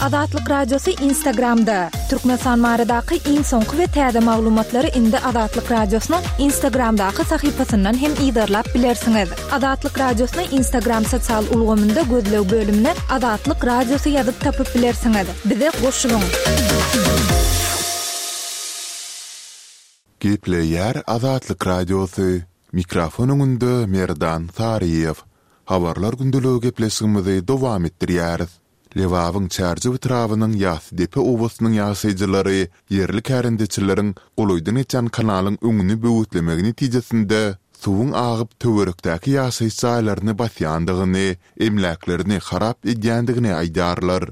Azatlyk Radiosy Instagramda! Türkmenistan baradaky iň soňky we täze maglumatlary indi Azatlyk Radiosynyň Instagramdaky sahypasyndan hem yzarlap bilersiňiz. Azatlyk Radiosyny Instagram sosial ulgamynda gözleg bölümine Azatlyk Radiosy ýazyp tapyp bilersiňiz. Bize goşulyň! Gepleýär Azatlyk Radiosy, Mikrofon öňünde Merdan Saryýew. Habarlar gündeligi gepleşigimizi dowam etdirýäris. Lebabyň Çärjew etrabynyň Ýassydepe obasynyň ýaşaýjylary ýerli kärendeçileriň golaýdan geçýän kanalyň öňüni böwetlemegi netijesinde suwuň agyp töwerekdäki ýaşaýyş jaýlaryny basýandygyny, emläklerini harap edýändigini aýdýarlar.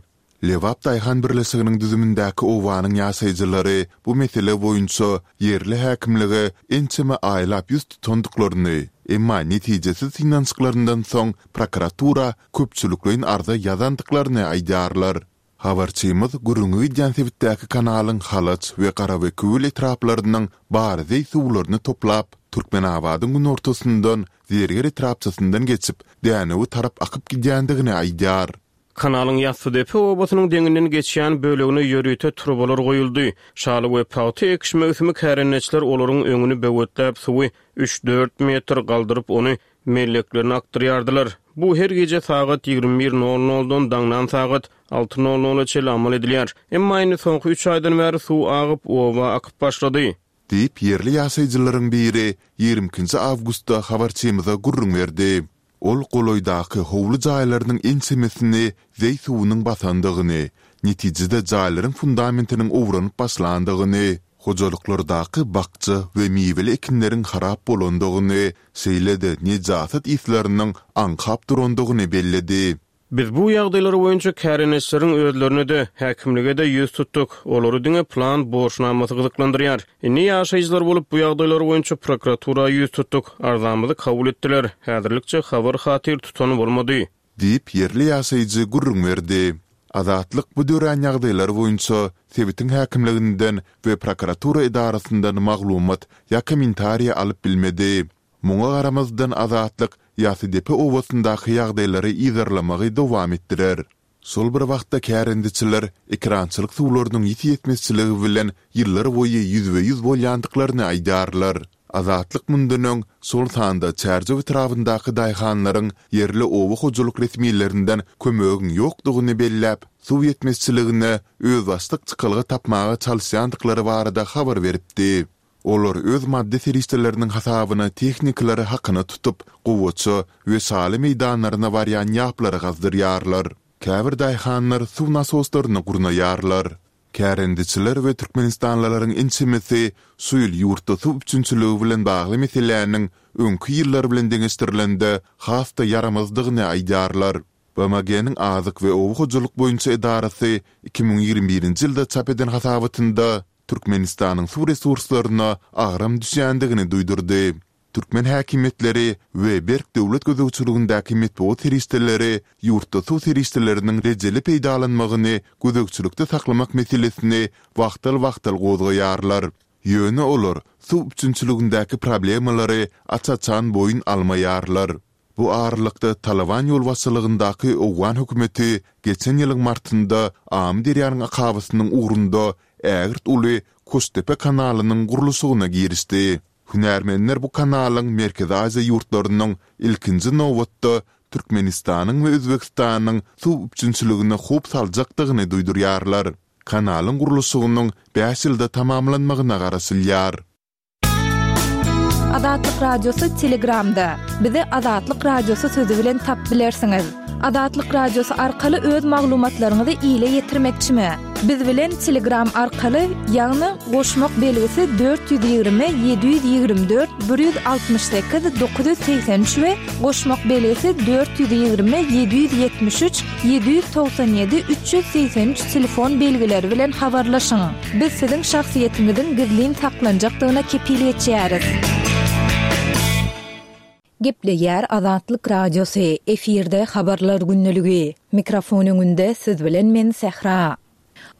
Lebap daýhan birleşiginiň düzümindäki obanyň ýaşaýjylary bu mesele boýunça ýerli häkimlige ençeme aýlap ýüz tutandyklaryny, emma netijesiz synanyşyklaryndan soň prokuratura köpçülikleýin arza ýazandyklaryny aýdýarlar. Habarçymyz gürrüňi gidýän sebitdäki kanalyň Halaç we Garabekewül etraplarynyň bar zeý suwlaryny toplap, Türkmenabadyň günortasyndan Zerger etrapçasyndan geçip, Dänewe tarap akyp gidýändigini aýdýar. Kanalyň Ýassydepe obasynyň deňinden geçýän bölegine ýörite turbalar goýuldy. Şaly we pagta ekiş möwsümi kärendeçiler olaryň öňüni böwetläp, suwy üç-dört metr galdyryp, ony melleklerine akdyrýardylar. Bu her gije sagat 21 nol noldan daňdan sagat alty nol nola çenli amal edilýär. Emma indi soňky üç aýdan bäri suw agyp, oba akyp başlady. Diýip, ýerli ýaşaýjylaryň biri ýigrimi ikinji awgustda habarçymyza gürrüň berdi. Ol golaýdaky howly jaýlarynyň ençemesini zeý suwunyň basandygyny, netijede jaýlaryň fundamentiniň owranyp başlandygyny, hojalyklardaky bakja we miweli ekinleriň harap bolandygyny, şeýle-de nejasat yslarynyň aňkap durandygyny belledi. Biz bu ýagdaýlar boýunça kärendeçileriň özlerine-de, häkimlige-de ýüz tutduk. Olary diňe plan borçnamasy gyzyklandyrýar. Indi ýaşaýjylar bolup bu ýagdaýlar boýunça prokuratura ýüz tutduk. Arzamyzy kabul etdiler. Häzirlikçe habar-hatyr tutan bolmady. Diýip, ýerli ýaşaýjy gürrüň berdi. Azatlyk bu dörän ýagdaýlar boýunça sebitiň häkimliginden we prokuratura edarasyndan maglumat ýa kommentariýa alyp bilmedi. Muňa garamazdan Azatlyk Ýasydepe obasyndaky ýagdaýlary yzarlamagy dowam etdirer. Şol bir wagtda kärendeçiler ekerançylyk suwlarynyň ýiti ýetmezçiligi bilen ýyllar boýy ýüzbe-ýüz bolýandyklaryny aýdýarlar. Azatlyk mundan öň, şol sanda Çärjew etrabyndaky daýhanlaryň ýerli oba hojalyk resmilerinden kömegiň ýokdugyny belläp, suw ýetmezçiligine özbaşdak çykalga tapmaga çalyşýandyklary barada habar beripdi. Olar öz maddy serişdeleriniň hasabyna tehnikalary hakyna tutup, gowaça we şaly meýdanlaryna barýan ýaplary gazdyrýarlar. Käbir daýhanlar suw nasoslaryny gurnaýarlar. Kärendeçiler we türkmenistanlylaryň ençemesi şu ýyl ýurtda suw üpjünçiligi bilen bagly meseläniň öňki ýyllar bilen deňeşdirilende has-da ýaramazdygyny aýdýarlar. BMG-niň Azyk we oba hojalyk boýunça edarasy 2021-nji ýylda çap eden hasabatynda Türkmenistanyň suw resurslaryna agram düşýändigini duýdurdy. Türkmen häkimiýetleri we berk döwlet gözegçiligindäki metbugat serişdeleri ýurtda suw serişdeleriniň rejeli peýdalanmagyny gözegçilikde saklamak meselesini wagtal-wagtal gozgaýarlar. Ýöne olar suw üpjünçiligindäki problemalary aç-açan boýun almaýarlar. Bu aralykda, Talyban ýolbaşçylygyndaky owgan hökümeti geçen ýylyň martynda Amyderýanyň akabasynyň ugrunda ägirt uly Koştepe kanalynyň gurluşygyna girişdi. Hünärmenler bu kanalyň Merkezi Aziýa ýurtlarynyň, ilkinji nobatda, Türkmenistanyň we Özbegistanyň suw üpjünçiligine howp saljakdygyny duýdurýarlar. Kanalyň gurluşygynyň bäş ýylda tamamlanmagyna garaşylýar. Azatlyk Radiosy Telegramda. Bizi Azatlyk Radiosy sözi bilen tap bilersiňiz. Azatlyk Radiosy arkaly öz maglumatlaryňyzy ile ýetirmekçimi? Biz bilen Telegram arkaly, ýagny goşmak belgisi 420 724 168 983 we goşmak belgisi 420 773 797 383 telefon belgileri bilen habarlaşyň. Biz siziň şahsyýetiňiziň gizlin saklanjakdygyna kepil geçýäris. Gepleýär Azatlyk Radiosy, efirde Habarlar gündeligi. Mikrofon öňünde siz bilen men Sähra.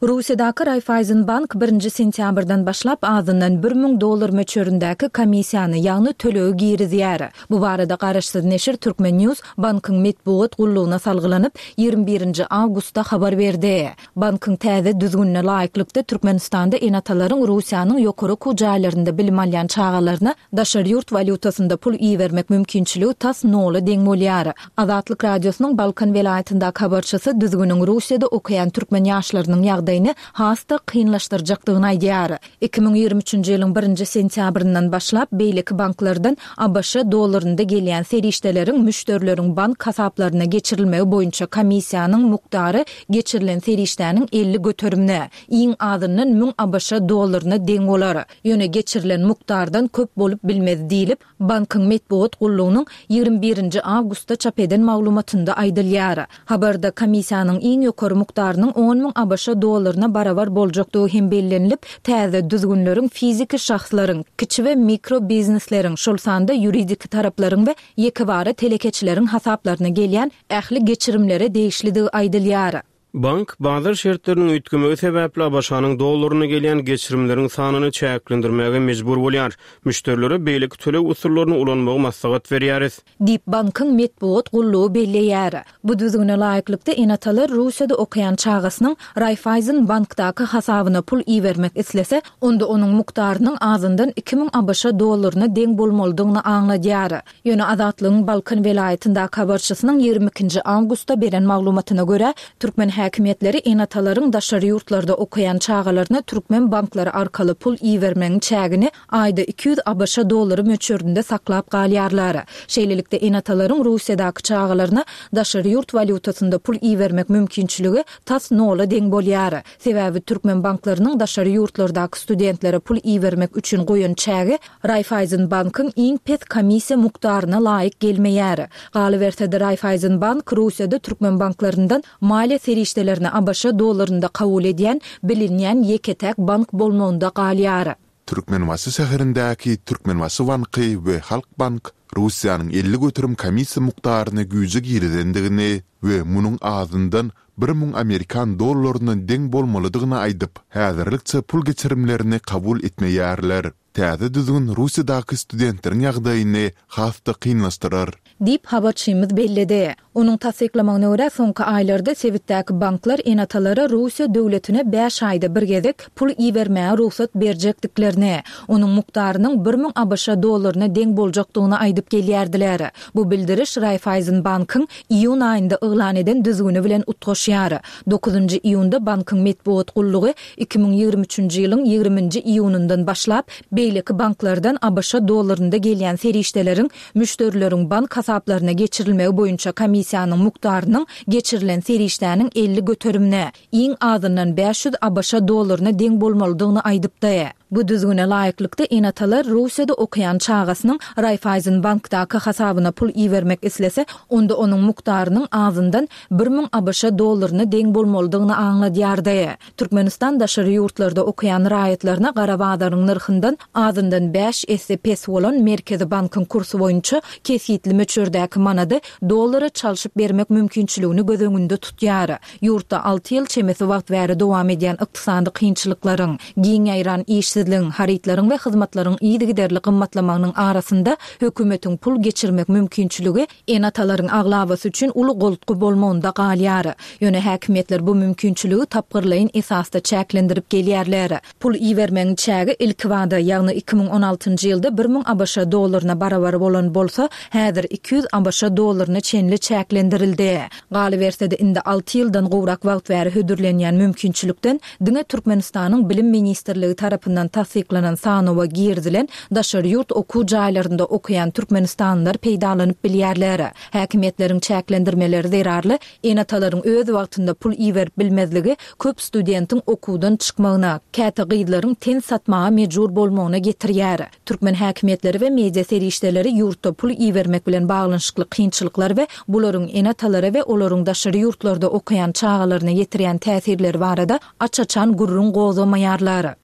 Russiýadaky Raiffeisenbank birinji sentýabrdan başlap azyndan 1000 dollar möçberindäki komissiýany, ýagny tölegi girizýär. Bu barada garaşsyz neşir Turkmen News bankyň metbugat gullugyna salgylanyp, 21 nji awgustda habar berdi. Bankyň täze düzgünine laýyklykda, Türkmenistanda ene-atalaryň Russiýanyň ýokary okuw jaýlarynda bilim alýan çagalaryna daşary ýurt walýutasynda pul ibermek mümkinçiligi tas nola deň bolýar. Azatlyk Radiosynyň Balkan welaýatyndaky habarçysy düzgüniň Russiýada okaýan türkmen ýaşlarynyň ýagdaýyny has-da kynlaşdyrjakdygyny aýdýar. 2023-nji ýylyň birinji sentýabryndan başlap, beýleki banklardan ABŞ dollarynda gelýän serişdeleriň müşderileriň bank hasaplaryna geçirilmegi boýunça komissiýanyň mukdary geçirilen serişdäniň 50 göterimine, iň azyndan 1000 ABŞ dollaryna deň bolar. Ýöne geçirilen mukdardan köp bolup bilmez diýlip, Bankyň metbugat gullugynyň 21 nji awgustda çap eden maglumatynda aýdylýar. Habarda komissiýanyň iň ýokary mukdarynyň on müň ABŞ dollaryna barabar boljakdygy hem bellenilip, täze düzgünleriň fiziki şahslaryň, kiçi we mikro biznesleriň, şol sanda ýuridiki taraplaryň we ýekebara telekeçileriň hasaplaryna gelýän ähli geçirimlere degişlidigi aýdylýar. Bank, bazar şertleriniň üýtgemegi sebäpli ABŞ-nyň dollarynda gelýän geçirimleriň sanyny çäklendirmäge mejbur bolýar. Müşderilere beýleki töleg usullaryny ulanmagy maslahat berýäris. Diýip, bankyň metbugat gullugy belleýär. Bu düzgüne laýyklykda, ene-atalar Russiýada okaýan çagasynyň Raiffeisen bankdaky hasabyna pul ibermek islese, onda onuň mukdarynyň azyndan 2000 ABŞ dollaryna deň bolmalydygyny aňladýar. Ýöne Azatlygyň Balkan welaýatyndaky habarçysynyň 22 nji awgustda beren maglumatyna görä, türkmen häkimiýetleri ene-atalaryň daşary ýurtlarda okaýan çagalaryna türkmen banklary arkaly pul ibermegiň çägini aýda 200 ABŞ dollary möçberinde saklap galýarlar. Şeýlelikde, ene-atalaryň Russiýadaky çagalaryna daşary ýurt walýutasynda pul ibermek mümkinçiligi tas nola deň bolýar. Sebäbi türkmen banklarynyň daşary ýurtlardaky studentlere pul ibermek üçin goýan çägi Raiffeisenbankyň iň pes komissiýa mukdaryna laýyk gelmeýär. Galyberse-de, Raiffeisenbank Russiýada türkmen banklaryndan maliýe serişdelerini ABŞ dollarynda kabul edýän bilinýän ýeke-täk bank bolmagynda galýar. Türkmenbaşy şäherindäki Türkmenbaşy banky we Halkbank Russiýanyň 50% komissiýa mukdaryny güýje girizendigini we munuň azyndan 1000 amerikan dollaryna deň bolmalydygyny aýdyp, häzirlikçe pul geçirimlerini kabul etmeýärler. Täze düzgün Russiýadaky studentleriň ýagdaýyny has-da kynlaşdyrar. Diýip, habarçymyz belledi. Onuň tassyklamagyna görä, soňky aýlarda sebitdäki banklar ene-atalara Russiýa döwletine bäş aýda bir gezek pul ibermäge rugsat berjekdiklerini, onuň mukdarynyň 1000 ABŞ dollaryna deň boljakdygyny aýdyp gelýärdiler. Bu bildiriş Raiffeisenbankyň iýun aýynda yglan eden düzgüni bilen utgaşýar. Dokuzynjy iýunda bankyň metbugat gullugy 2023-nji ýylyň ýigriminji iýunyndan başlap, beýleki banklardan ABŞ dollarynda gelýän serişdeleriň müşderileriň bank hasaplaryna geçirilmegi boýunça komissiýanyň mukdarynyň geçirilen serişdäniň 50 göterimine, iň azyndan 500 ABŞ dollaryna deň bolmalydygyny aýdypdy. Bu düzgüne laýyklykda, ene-atalar Russiýada okaýan çagasynyň Raiffeisenbankdaky hasabyna pul ibermek islese, onda onuň mukdarynyň azyndan 1000 ABŞ dollaryna deň bolmalydygyny aňladýardy. Türkmenistan daşary ýurtlarda okaýan raýatlaryna gara bazaryň nyrhyndan azyndan bäş esse pes bolan Merkezi bankyň kursy boýunça kesgitli möçberdäki manady dollara çalşyp bermek mümkinçiligini göz öňünde tutýar. Ýurtda alty ýyl çemesi wagt bäri dowam edýän ykdysady kynçylyklaryň, giň ýaýran işsizligiň, harytlaryň we hyzmatlaryň yzygiderli gymmatlamagynyň arasynda hökümetiň pul geçirmek mümkinçiligi ene-atalaryň aglabasy üçin uly goltgy bolmagynda galýar. Ýöne häkimiýetler bu mümkinçiligi tapgyrlaýyn esasda çäklendirip gelýärler. Pul ibermegiň çägi ilkibada, ýagny 2016-njy ýylda 1000 ABŞ dollaryna barabar bolan bolsa, häzir 200 ABŞ dollaryna çenli çäklendirildi. Galyberse-de, indi alty ýyldan gowrak wagt bäri hödürlenýän mümkinçilikden diňe Türkmenistanyň Bilim ministrligi tarapyndan tassyklanan sanawa girizilen daşary ýurt okuw jaýlarynda okaýan türkmenistanlylar peýdalanyp bilýärler. Häkimiýetleriň çäklendirmeleri zerarly ene-atalaryň öz wagtynda pul iberip bilmezligi köp studentiň okuwdan çykmagyna, käte gyzlaryň ten satmaga mejbur bolmagyna getirýär. Türkmen häkimiýetleri we media serişdeleri ýurtda pul ibermek bilen baglanyşykly kynçylyklar we bularyň ene-atalara we olaryň daşary ýurtlarda okaýan çagalaryna ýetirýän täsirleri barada aç-açan gürrüň gozgamaýarlar.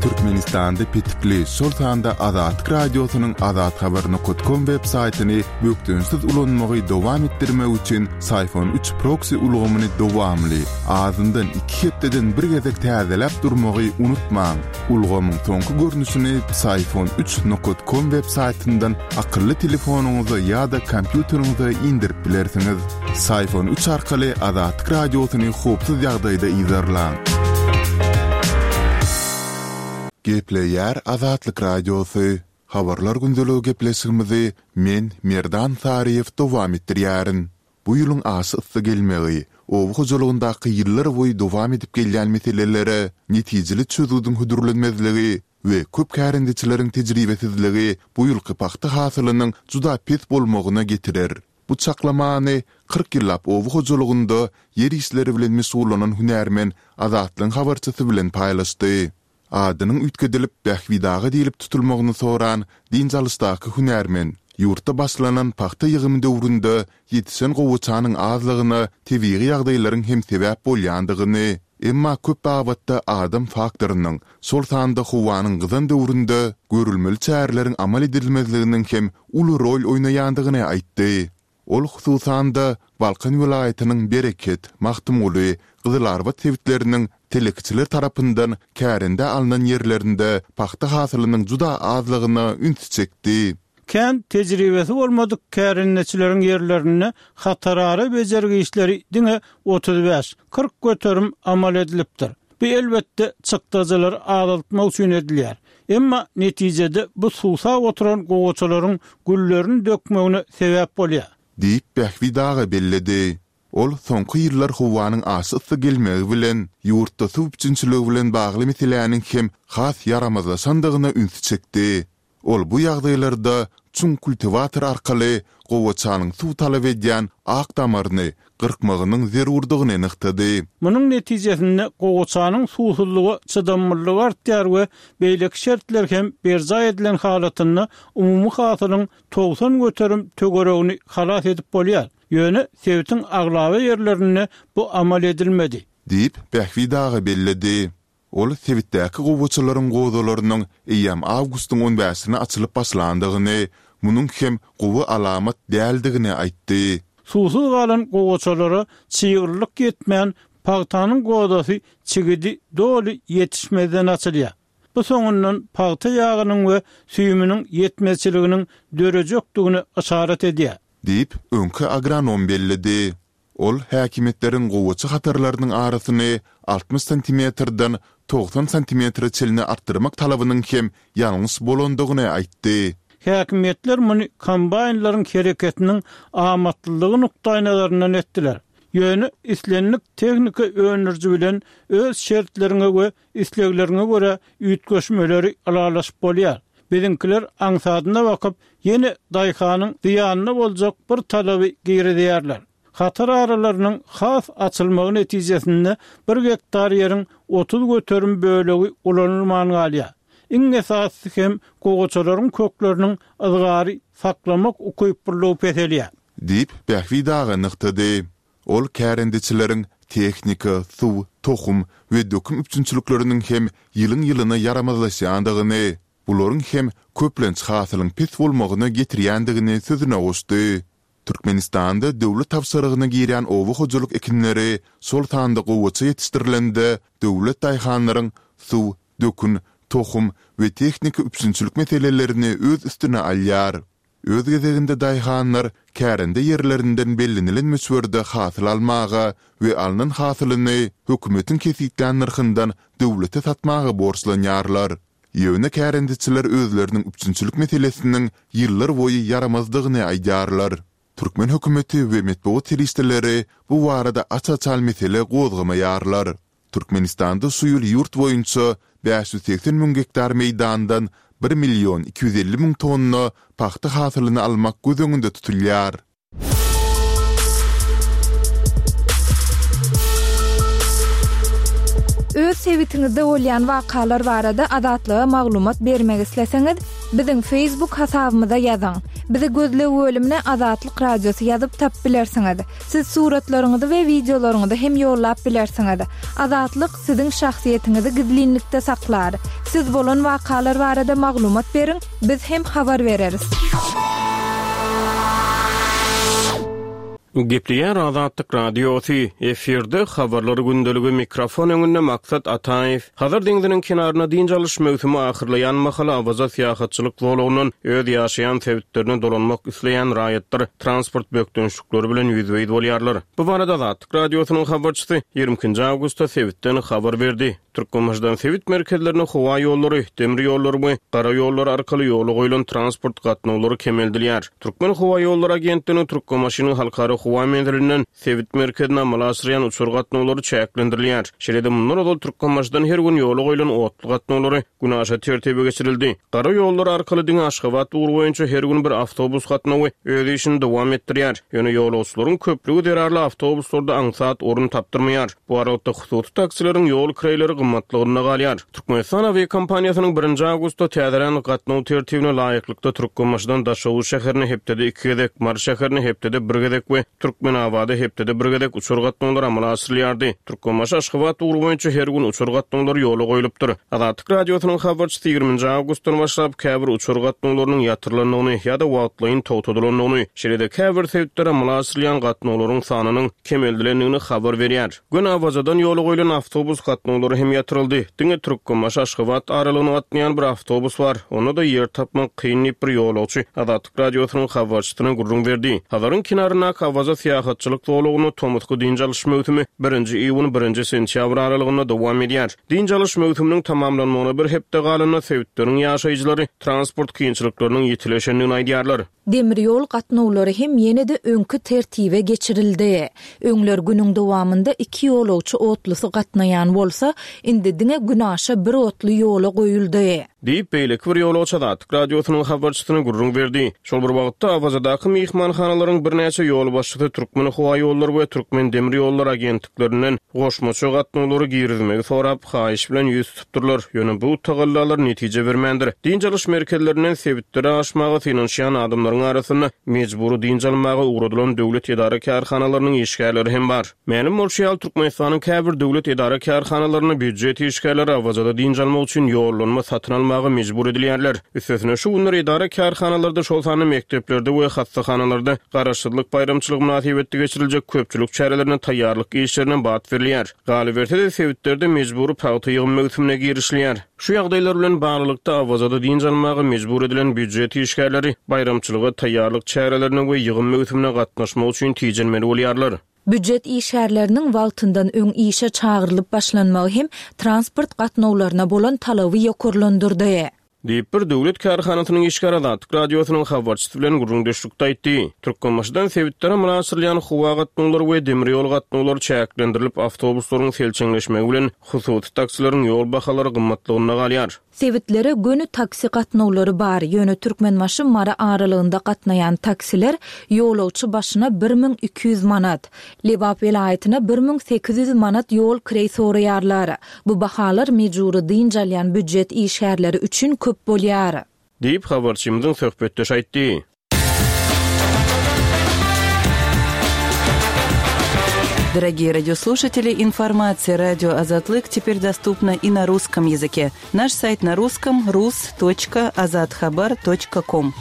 Türkmenistanda petikli, şol sanda Azatlyk Radiosynyň azathabar nokat kom web saýtyny bökdençsiz ulanmagy dowam etdirmek üçin Syfon üç proksi ulgamyny dowamly, azyndan iki hepdeden bir gezek täzeläp durmagy unutmaň. Ulgamyň soňky görnüşini Psiphon üç nokat kom web saýtyndan akylly telefonyňyza ýa-da kompýuteriňize indirip bilersiňiz. Psiphon üç arkaly Azatlyk Radiosyny howpsuz ýagdaýda yzarlaň. Gepleýär Azatlyk Radiosy, Habarlar gündeligi gepleşigimizi men, Merdan Saryýew dowam etdirýärin. Bu ýylyň aşa yssy gelmegi, oba hojalygyndaky ýyllar boýy dowam edip gelýän meselelere netijeli çözgüdiň hödürlenmezligi we köp kärendeçileriň tejribesizligi bu ýylky pagta hasylynyň juda pes bolmagyna getirer. Bu çaklamany 40 ýyllap oba hojalygynda ýer işleri bilen meşgullanan hünärmen Azatlygyň habarçysy bilen paýlaşdy. Adynyň üýtgedilip, Bähbit aga diýlip tutulmagyny soran dynç alyşdaky hünärmen, ýurtda başlanan pagta ýygymy döwründe ýetişen gowaçanyň azlygyna tebigy ýagdaýlaryň hem sebäp bolýandygyny, emma köp babatda adam faktorynyň, şol sanda howanyň gyzan döwründe görülmeli çäreleriň amal edilmezliginiň hem uly rol oýnaýandygyny aýtdy. Ol, hususan-da, Balkan welaýatynyň Bereket, Magtymguly, Gyzylarbat sebitleriniň telekeçiler tarapyndan kärendä alnan ýerlerinde pagta hasylynyň juda azlygyna ünsi çekdi. Kän tejribesi bolmadyk kärendeçileriň ýerlerinde hatarara bejergi işleri diňe 35, 40 göterim amal edilipdir. Bu, elbetde, çykdajylary azaltmak üçin edilýär. Emma netijede bu suwsap oturan gowaçalaryň güllerini dökmegine sebäp bolýar. Diýip, Bähbit aga belledi. Ol soňky ýyllar howanyň aşa yssy gelmegi bilen, ýurtda suw üpjünçiligi bilen bagly meseläniň hem has ýaramazlaşandygyna ünsi çekdi. Ol bu ýagdaýlarda çuň kultiwator arkaly gowaçanyň suw talap edýän ak damaryny gyrkmagynyň zerurdygyny nygtady. Munuň netijesinde gowaçanyň suwsuzlyga çydamlylygy artýar we beýleki şertler hem berjaý edilen halatynda umumy hasylyň 90% töweregini halas edip bolýar. Ýöne sebitiň aglaba ýerlerinde bu amal edilmedi. Diýip, Bähbit aga belledi. Ol sebitdäki gowaçalaryň gozalarynyň eýýäm awgustyň on bäşine açylyp başlandygyny, munuň hem gowy alamat däldigini aýtdy. Suwsuz galan gowaçalara çyglylyk ýetmän, pagtanyň gozasy çigidi doly ýetişmezden açylýar. Bu soňundan pagta ýagynyň we süýüminiň ýetmezçiliginiň dörejekdigine yşarat edýär. Diýip, öňki agronom belledi. Ol häkimiýetleriň gowaça hatarlarynyň arasyny 60 santimetrden 90 santimetre çenli artdyrmak talabynyň hem ýalňyş bolandygyny aýtdy. Häkimiýetler muny kombaýnlaryň hereketiniň amatlylygy nukdaýnazaryndan etdiler. Ýöne islendik tehnika öndüriji bilen öz şertleriňe we islegleriňe görä üýtgeşmeleri ylalaşyp bolýar. Biziňkiler aňsadyna bakyp, ýene daýhanyň zyýanyna boljak bir talaby girizýärler. Hatar aralarynyň has açylmagy netijesinde bir gektar ýeriň 30% bölegi ulanylman galýar. Iň esasysy hem gowaçalaryň kökleriniň yzgary saklamak ukyplylygy peselýär. Diýip, Bähbit aga nygtady. Ol kärendeçileriň tehnika, suw, tohum we dökün üpjünçilikleriniň hem ýylyň-ýylyna ýaramazlaşýandygyny, bularyň hem köplenç hasylyň pes bolmagyna getirýändigini sözüne goşdy. Türkmenistanda döwlet tabşyrygyna girýän oba hojalyk ekinleri, şol sanda gowaça ýetişdirilende döwlet daýhanlaryň suw, dökün, tohum we tehnika üpjünçilik meselelerini öz üstüne alýar. Öz gezeginde daýhanlar kärende ýerlerinden bellenilen möçberde hasyl almaga we alnan hasylyny hökümetiň kesgitlän nyrhyndan döwlete satmaga borçlanýarlar. Ýöne kärendeçiler özleriniň üpjünçilik meselesiniň ýyllar boýy ýaramazdygyny aýdýarlar. Türkmen hökümeti we metbugat serişdeleri bu barada aç-açan mesele gozgamaýarlar. Türkmenistanda şu ýyl ýurt boýunça 580 müň gektar meýdandan bir million 250 müň tonna pagta hasylyny almak göz öňünde tutulýar. Öz sebitiňizde bolýan wakalar barada Azatlyga maglumat bermek isleseňiz, biziň Facebook hasabymyza ýazyň. Bizi gözleg bölümine Azatlyk Radiosy ýazyp tapyp bilersiňiz. Siz suratlaryňyzy we wideolaryňyzy hem ýollap bilersiňiz. Azatlyk siziň şahsyýetiňizi gizlinlikde saklar. Siz bolan wakalar barada maglumat beriň, biz hem habar bereris. Gepleýär Azatlyk Radiosy, efirde Habarlar gündeligi, mikrofon öňünde Maksat Ataýew. Hazar deňziniň kenarynda dynç alyş möwsümi ahyrlaýan mahaly Awaza syýahatçylyk zolagyndan öz ýaşaýan sebitlerine dolanmak isleýän raýatlar transport bökdençlikleri bilen ýüzbe-ýüz bolýarlar. Bu barada Azatlyk Radiosynyň habarçysy 22 nji awgustda sebitden habar berdi. Türkmenbaşydan sebit merkezlerine howa ýollary, demir ýollary we gara ýollary arkaly ýola goýlan transport gatnawlary kemeldilýär. Türkmenhowaýollary agentliginiň Türkmenbaşynyň halkara howa menzilinden sebit merkezine amala aşyrýan uçar gatnawlary çäklendirilýär. Şeýle-de mundan ozal Türkmenbaşydan her gün ýola goýlan otly gatnawlary günaşa tertibe geçirildi. Gara ýollar arkaly diňe Aşgabat ugry boýunça her gün bir awtobus gatnawy öz işini dowam etdirýär. Ýöne ýolagçylaryň köplügi zerarly awtobuslarda aňsat orun tapdyrmaýar. Bu aralykda hususy taksileriň ýol kireýleri gymmatlygynda galýar. Türkmenistan awiakompaniýasynyň birinji awgustda täzelän gatnaw tertibine laýyklykda Türkmenbaşydan Daşoguz şäherine hepdede iki gezek, Mary şäherine hepdede bir gezek we Türkmenabada hepdede bir gezek uçar gatnawlary amala aşyrylýardy. Türkmenbaşy, Aşgabat ugry boýunça her gün uçar gatnawlary ýola goýlupdyr. Azatlyk Radiosynyň habarçysy ýigriminji awgustdan başlap käbir uçar gatnawlarynyň ýatyrylandygyny ýa-da wagtlaýyn togtadylandygyny, şeýle-de käbir sebitlere amala aşyrylýan gatnawlaryň sanynyň kemeldilendigini habar berýär. Göni Awazadan ýola goýlan awtobus gatnawlary hem ýatyryldy. Diňe Türkmenbaşy-Aşgabat aralygyna gatnaýan bir awtobus bar. Onda-da ýer tapmak kyn diýip, bir ýolagçy Azatlyk Radiosynyň habarçysyna gürrüň berdi. Hazaryň kenaryndaky Awaza syýahatçylyk zolagynda tomusky dynç alyş möwsümi birinji iýun-birinji sentýabr aralygynda dowam edýär. Dynç alyş möwsüminiň tamamlanmagyna bir hepde galanda sebitleriň ýaşaýjylary transport kynçylyklarynyň ýitileşendigini aýdýarlar. Demir ýol gatnawlary hem ýene-de öňki tertibe geçirildi. Öňler günüň dowamynda iki ýolagçy otlusy gatnaýan bolsa, indi diňe günaşa bir otly ýola goýuldy. Diýip, beýleki bir ýolagçy Azatlyk Radiosynyň habarçysyna gürrüň berdi. Şol bir wagtda, Awazadaky myhmanhanalaryň birnäçe ýolbaşçysy Türkmenhowaýollary we Türkmendemirýollary agentliklerinden goşmaça gatnawlary girizmegi sorap, haýyş bilen ýüz tutupdyrlar. Ýöne bu tagallalar netije bermändir. Dynç alyş merkezlerinden sebitlere aşmaga synanyşýan adamlaryň arasynda mejbury dynç almaga ugradylan döwlet edara-kärhanalarynyň işgärleri hem bar. Mälim bolşy ýaly, Türkmenistanyň käbir döwlet edara-kärhanalarynda býujet işgärleri Awazada dynç almak üçin ýollanma satyn almaga mejbur edilýärler. Üstesine, şu günler edara-kärhanalarda, şol sanda mekdeplerde we hassahanalarda Garaşsyzlyk baýramçylygy mynasybetli geçiriljek köpçülik çärelerine taýýarlyk işlerine bat berilýär. Galyberse-de, sebitlerde mejbury pagta ýygym möwsümine girişilýär. Şu ýagdaýlar bilen baglylykda, Awazada dynç almaga mejbur edilen býujet işgärleri baýramçylyga taýýarlyk çärelerine we ýygym möwsümine gatnaşmak üçin tijenmeli bolýarlar. Býujet işgärleriniň wagtyndan öň işe çagyrylyp başlanmagy hem transport gatnawlaryna bolan talaby ýokarlandyrdy. Diýip, bir döwlet kärhanasynyň işgäri Azatlyk Radiosynyň habarçysy bilen gürrüňdeşlikde aýtdy. Türkmenbaşydan sebitlere amala aşyrylýan howa gatnawlary we demir ýol gatnawlary çäklendirilip, awtobuslaryň selçeňleşmegi bilen hususy taksileriň ýol bahalary gymmatlygynda galýar. Sebitlere göni taksi gatnawlary bar, ýöne Türkmenbaşy-Mary aralygynda gatnaýan taksiler ýolagçy başyna 1200 manat, Lebap welaýatyna 1800 manat ýol kireý soraýarlar. Bu bahalar mejbury dynç alýan býujet işgärleri üçin köp bolýar. Diýip, habarçymyzyň söhbetdeşi aýtdy. Дорогие радиослушатели, информация радио Азатлык теперь доступна и на русском языке. Наш сайт на русском rus.azathabar.com.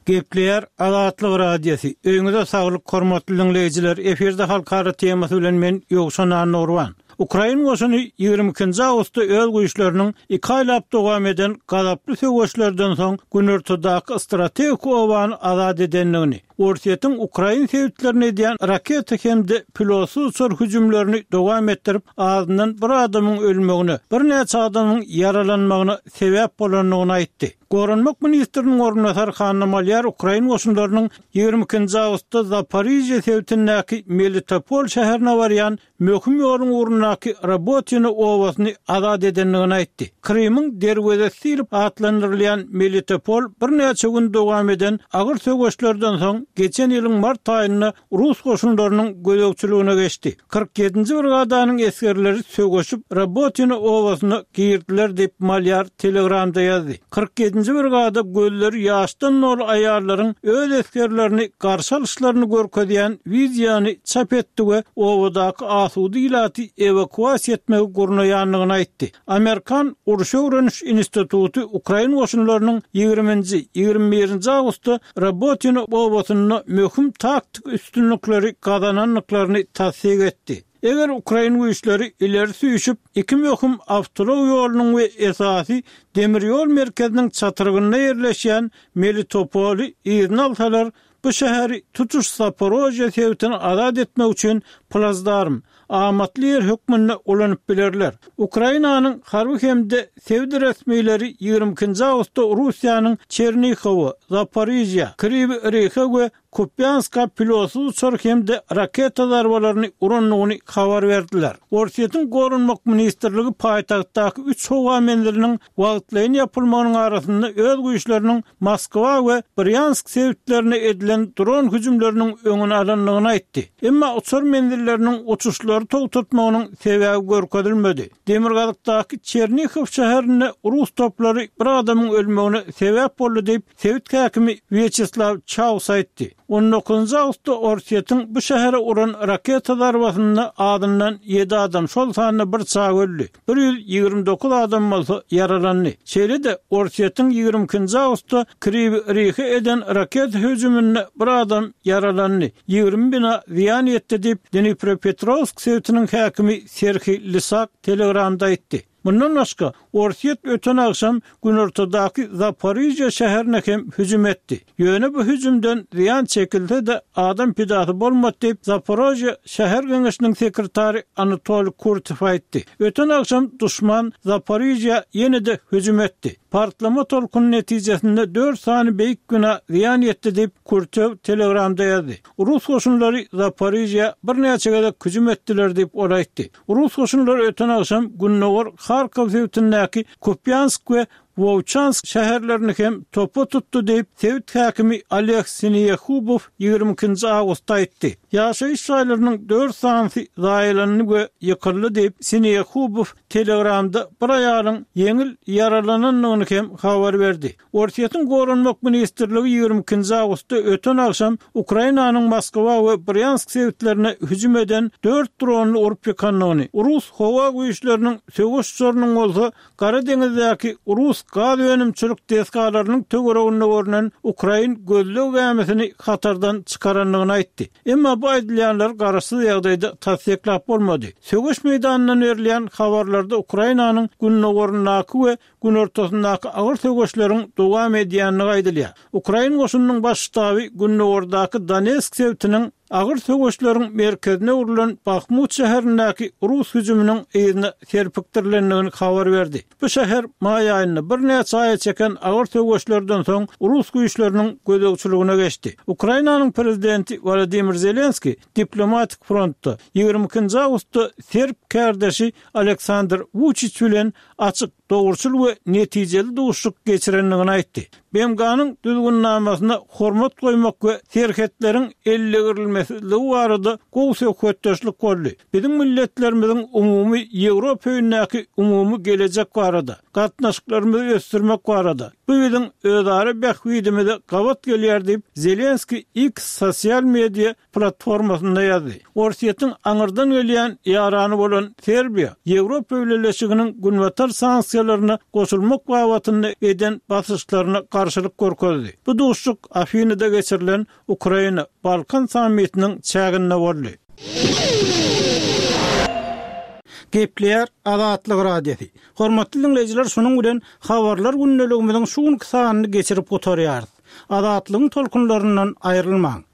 Gepleýär Azatlyk Radiosy, Öýüňize saglyk hormatly diňleýjiler, efirde halkara temasy bilen men Ýowşan Annagurban. Ukrain goşuny 22-nji awgustda öz güýçleriniň iki aýlap dowam eden gazaply söweşlerden soň günortadaky strategik obany azat edendigini, Orsýetiň ukrain sebitlerine edýän raketa hem-de pilotsyz uçar hüjümlerini dowam etdirip, azyndan bir adamyň ölmegine, birnäçe adamyň ýaralanmagyna sebäp bolandygyny aýtdy. Goranmak ministriniň orunbasary Hanna Malýar ukrain goşunlarynyň 22-nji awgustda Zaporižýe sebitindäki Melitopol şäherine barýan möhüm ýoluň ugrundaky Robotino obasyny azat edendigini aýtdy. Krymyň derwezesi diýlip atlandyrylýan Melitopol birnäçe gün dowam eden agyr söweşlerden soň geçen ýylyň mart aýynda rus goşunlarynyň gözegçiligine geçdi. 47-nji brigadanyň esgerleri söweşip Robotino obasyna girdiler diýip, Malýar Telegramda ýazdy. 47-nji brigada gözleri ýaşdan doly aýallaryň öz esgerlerini garşy alyşlaryny görkezýän wideony çap etdi we obadaky asuda ilaty ewakuasiýa etmegi gurnaýandygyny aýtdy. Amerikan uruş öwreniş instituty ukrain goşunlarynyň ýigriminji, 21-nji awgustda Robotino obasynda möhüm taktik üstünlikleri gazanandyklaryny tassyk etdi. Eger ukrain güýçleri ileri süýşüp, iki möhüm awtoulag ýolunyň we esasy demir ýol merkeziniň çatrygynda ýerleşýän Melitopoly yzyna alsalar, bu şäheri tutuş Zaporožýe sebitini azat etmek üçin plazdarm, amatly ýer hökmünde ulanyp bilerler. Ukrainanyň harby hem-de sebit resmileri 22-nji awgustda Russiýanyň Çernihowa, Zaporižýa, Kriwi Rihe we Kupýanska pilotsyz uçar hem-de raketa zarbalaryny urandygyny habar berdiler. Orsýetiň Goranmak ministrligi paýtagtdaky üç howa menziliniň wagtlaýyn ýapylmagynyň arasynda öz güýçleriniň Moskwa we Brýansk sebitlerine edilen dron hüjümleriniň öňüni alandygyny aýtdy. Emma uçar menzilleriniň uçuşlary togtatmagynyň sebäbi görkezilmedi. Demirgazykdaky Çernihow şäherinde rus toplary bir adamyň ölmegine sebäp boldy diýip, sebit häkimi Wýaçeslaw Çaus aýtdy. On dokuzynjy awgustda Orsýetiň bu şähere uran raketa zarbasynda azyndan ýedi adam, şol sanda bir çaga öldi, 129 adam bolsa ýaralandy. Şeýle-de, Orsýetiň 22-nji awgustda Kriwi Rihe eden raketa hüjüminde bir adam ýaralandy, 20 bina zyýan ýetdi diýip, Dniprepetrowsk sebitiniň häkimi Serhiý Lysak Telegramda aýtdy. Mundan başga, Orsýet öten agşam günortadaky Zaporižýa şäherine hem hüjüm etdi. Ýöne bu hüjümden zyýan çekilse-de, adam pidasy bolmady diýip, Zaporožýe şäher geňeşiniň sekretary Anatoliý Kurtow aýtdy. Öten agşam duşman Zaporižýa ýene-de hüjüm etdi. Partlama tolkuny netijesinde dört sany beýik bina zyýan ýetdi diýip, Kurtow Telegramda ýazdy. Rus goşunlary Zaporižýa birnäçe gezek hüjüm etdiler diýip, ol aýtdy. Rus goşunlary öten agşam gündogar Harkow sebitindäki Kupýansk we Wowçansk şäherlerini hem topa tutdy diýip, sebit häkimi Oleg Sineýehubow 22-nji awgustda aýtdy. Ýaşaýyş jaýlarynyň dört sanysy zaýalandy we ýykyldy diýip, Sineýehubow Telegramda bir aýalyň ýeňil ýaralanandygyny hem habar berdi. Orsýetiň Goranmak ministrligi 22-nji awgustda öten agşam Ukrainanyň Moskwa we Brýansk sebitlerine hüjüm eden dört dronyny urup ýykandygyny, rus howa güýçleriniň söweş uçarynyň bolsa Gara deňizdäki rus gaz önümçilik desgalarynyň töwereginde görnen ukrain gözleg gämisini hatardan çykarandygyny aýtdy. Emma bu aýdylýanlary garaşsyz ýagdaýda tassyklap bolmady. Söweş meýdanyndan berilýän habarlarda Ukrainanyň gündogaryndaky we günortasyndaky agyr söweşleriň dowam edýändigi aýdylýar. Ukrain goşunynyň Baş ştaby gündogardaky Donetsk sebitiniň agyr söweşleriň merkezine öwrülen Bahmut şäherindäki rus hüjüminiň yzyna serpikdirilendigini habar berdi. Bu şäher maý aýynda birnäçe aýa çeken agyr söweşlerden soň rus güýçleriniň gözegçiligine geçdi. Ukrainanyň prezidenti Wolodymyr Zelenskiý diplomatik frontda 22-nji awgustda serb kärdeşi Aleksandr Wuçiç bilen açyk, dogruçyl we netijeli duşuşyk geçirendigini aýtdy. BMG-niň Düzgünnamasyna hormat goýmak we serhetleriň eldegirilmesizligi barada gowy söhbetdeşlik boldy. Biziň milletlerimiziň umumy Ýewropa öýündäki umumy gelejek barada, gatnaşyklarymyzy ösdürmek barada, bu biziň özara bähbidimize gabat gelýär diýip, Zelenskiý X sosial media platformasynda ýazdy. Orsýetiň aňyrdan gelýän ýarany bolan Serbiýa Ýewropa Bileleşiginiň Günbatar sanksiýalaryna goşulmak babatynda eden basyşlaryna garşylyk görkezdi. Bu duşuşyk Afinyda geçirilen Ukraina, Balkan sammitiniň çäginde boldy. Gepleýär Azatlyk Radiosy. Hormatly diňleýjiler şunuň bilen Habarlar gündeligimiziň şu günki sanyny geçirip gutarýarys. Azatlygyň tolkunlaryndan aýrylmaň!